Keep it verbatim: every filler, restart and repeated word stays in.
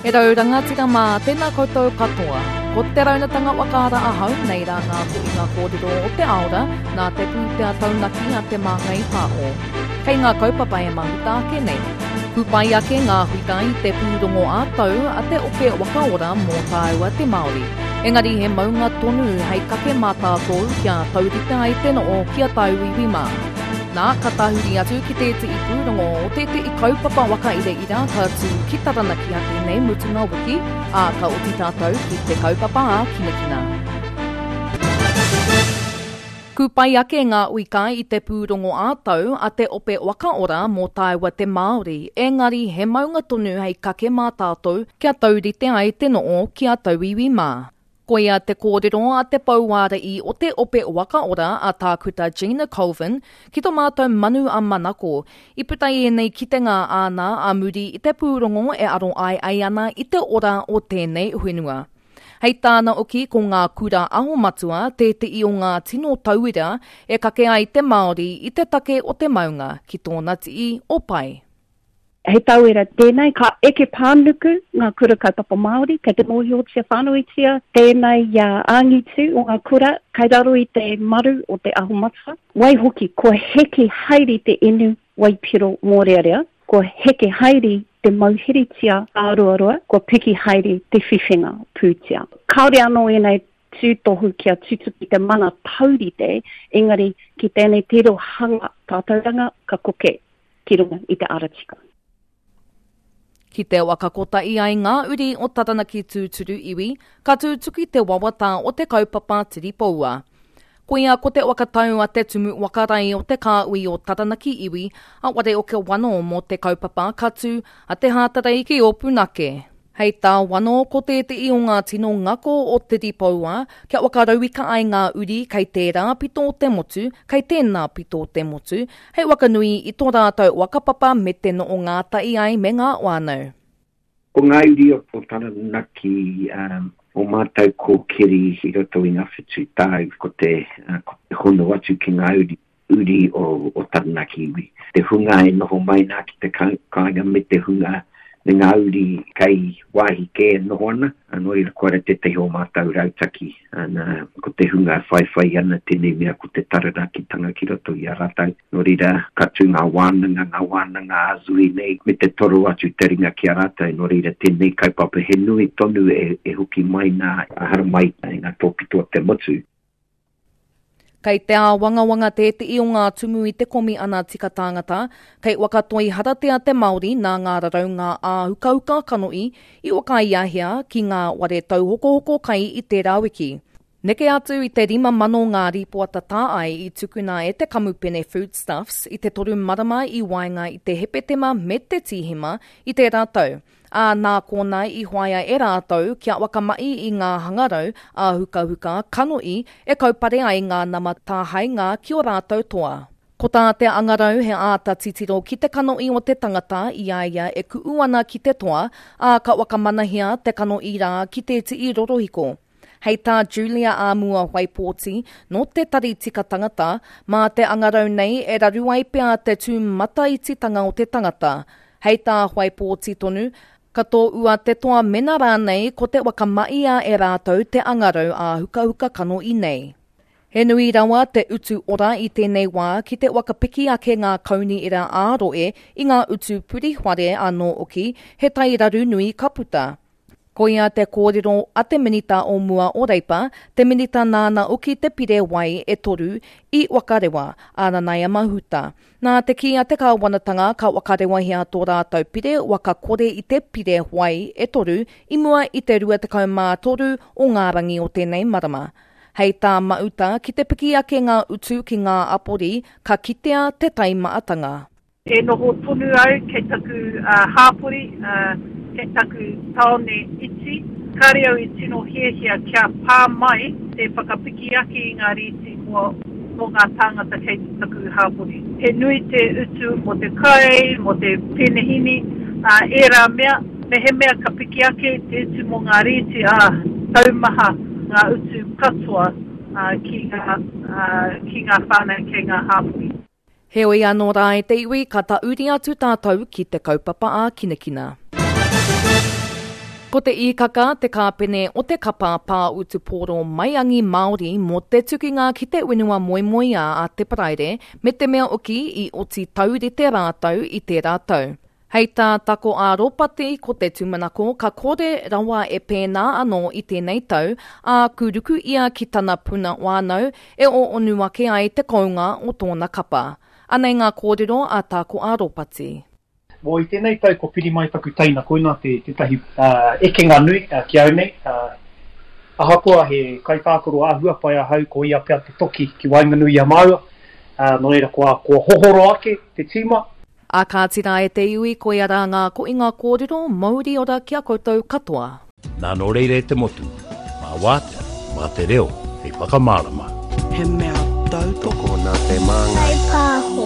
E rau rangatira mā, tēnā koutou katoa. Ko te raunatanga wakaara ahau, nei rā ngā kohinga kōrero o te aora, nā te pūtea taunaki a Te Māngai Pāho. Kei ngā kaupapa e mahuta ake nei. Kūpai ake ngā huita i te pūrongo ā-tau a te ope wakaora mō tāua te Māori. Engari he maunga tonu hei kake mā tātou kia taurite ai te noo ki a tauiwi mā. Nā, ka tahuri atu ki tētehi pūrongo o tētehi kaupapa whakairaira ka tū ki Taranaki a tēnei mutunga wiki, ā, ka oti tātou ki te kaupapa ā kinakina. Kūpai ake ngā uika i te pūrongo ā-tau a te ope wakaora mō tāua te Māori, engari he maunga tonu hei kake mā tātou kia taurite ai te noo ki a tauiwi mā. Koia te kōrero a te pouārai o te ope wakaora a Tākuta Gina Colvin ki tō mātou manu a Manako. I puta i ēnei kitenga āna a muri i te pūrongo e aro ai ai ana i te ora o tēnei whenua. Hei tāna oki ko ngā kura aho matua tētehi o ngā tino tauira e kake ai te Māori i te take o te maunga ki tōna tii o pai. Hei tauira tēnei, ka eke pānuku ngā kura kaupapa Māori, kei te mōhiotia whānuitia tēnei uh, angitu o ngā kura, kei raro i te maru o te aho matua. Waihoki, kua heke haere te inu waipiro mōrearea, kua heke haere te mauheritia āroaroa, kua piki haere te whiwhinga pūtea. Kāore anō ēnei tūtohu kia tutuki te mana taurite, engari ki tēnei tirohanga tātauranga ka koke ki runga i te ara tika. Ki te waka kotahi ai ngā uri o Taranaki tūturu iwi, ka tūtuki te wawata o te kaupapa tiripoua. Koia ko te wakatau a te tumu wakarai o te kāui o Taranaki iwi, a ware o ke wano mō te kaupapa ka tū a te hātarei ki Opunake. Hei tā wano ko tētehi o ngā tino ngako o Tiripoua, kia wakarauika ai ngā uri kei tērā pito o te motu, kei tēnā pito o te motu, hei wakanui i tō rātou wakapapa me te noo ngātahi ai me ngā whānau. Ko ngā uri o Taranaki um, o mātou kōkiri i roto i ngā whitu tau, ko te, uh, ko te hono atu ki ngā uri, uri o, o Taranaki iwi. Te hunga e noho mai nā ki te kāinga me te hunga me ngā uri kei wāhi kē e noho ana, nō reira koira tētehi o mātou rautaki, ana, ko te hunga whaiwhai ana tēnei mea ko te Taranakitanga ki roto i a rātou. Nō reira, ka tū ngā wānanga, ngā wānanga ā-zui nei, me te toro atu te ringa ki a rātou. Nō reira, tēnei kaupapa he nui tonu e, e hoki mai nā, haramai i ngā tōpito o te motu. Kei te āwangawanga tētehi o ngā tumu i te komi ana tika tāngata, kei wakatoi haratea te Māori nā ngā raraunga āhukauka kanohi i whakaiahea ki ngā ware tauhokohoko kai i tērā wiki. Neke atu i te rima mano ngā rīpoata tāai i tukuna e te kamupene Foodstuffs i te toru marama i waenga i te Hepetema me te Tīhema i tērā tau. Ā, nā kōna i hoaia e rātou kia wakamahi i ngā hangarau āhukahuka kanohi e kaupare ai ngā nama tāhainga ki o rātou toa. Ko tā te angarau he āta titiro ki te kanohi o te tangata i a ia e ku'u ana ki te toa, ā ka wakamanahia te kanohi rā ki te tii rorohiko. Hei tā Julia Āmua Waipōti, nō te tari tika tangata, mā te angarau nei e raru ai pea te tūmataititanga o te tangata. Hei tā Waipōti tonu, ka tō ua te toa mena rānei ko te wakamaia e rātou te angarau āhukahuka kanohi nei. He nui rawa te utu ora i tēnei wā ki te wakapiki ake ngā kaunihera ā-rohe i ngā utu puriwhare anō oki, he tairaru nui ka puta. Koia te kōrero a te minita o mua o Reipa, te minita nāna oki te pire wai e toru i wakarewa, a Nanaia Mahuta. Nā te kī a te kāwanatanga ka wakarewahia tō rātou pire wakakore i te pire wai e toru i mua i te rua tekau mā toru o ngā rangi o tēnei marama. Hei tā Mahuta ki te piki ake ngā utu ki ngā apori, ka kitea te taimaatanga. E noho tonu au kei taku uh, hāpori, uh, kei taku tāone iti. Kāre au i tino hiahia kia pā mai te whakapiki ake i ngā rīti mō, mō ngā tāngata kei taku hāpori. He nui te utu mō te kai, mō te penehini, uh, ērā mea, me he mea ka piki ake te utu mō ngā rīti, ā, taumaha ngā utu katoa uh, ki ngā, uh, ki ngā whānau kei ngā hāpori. Heoi anō rā e te iwi, ka tauri atu tātou ki te kaupapa ā kinakina. Ko te Īkaka te kāpene o te kapa pā-utupōro maiangi Māori mō te tukinga ki te whenua moemoeā a Te Paraire me te mea hoki i oti taurite rātou i tērā tau. Hei tā Tako a Ropati ko te tūmanako ka kore rawa e pēnā anō i tēnei tau, ā, kūruku ia ki tana puna whānau e ōonu ake ai te kounga o tōna kapa. Anei ngā kōrero a Tako a Ropati. Mō i tēnei tau ko piri mai taku teina, koina te tētahi uh, ekenga nui uh, ki au nei. Uh, ahakoa he kaitākaro āhua pai ahau, ko ia pea te toki ki waenganui i a māua. Uh, nō reira kua, kua hohoro ake te tīma. A kāti rā e te iwi, koia rā ngā koinga kōrero, mauri ora ki a koutou katoa. Nā nō reira e te motu, mā wātea, mā te reo, hei whakamārama. He mea tautoko nā te māngai. Pāho.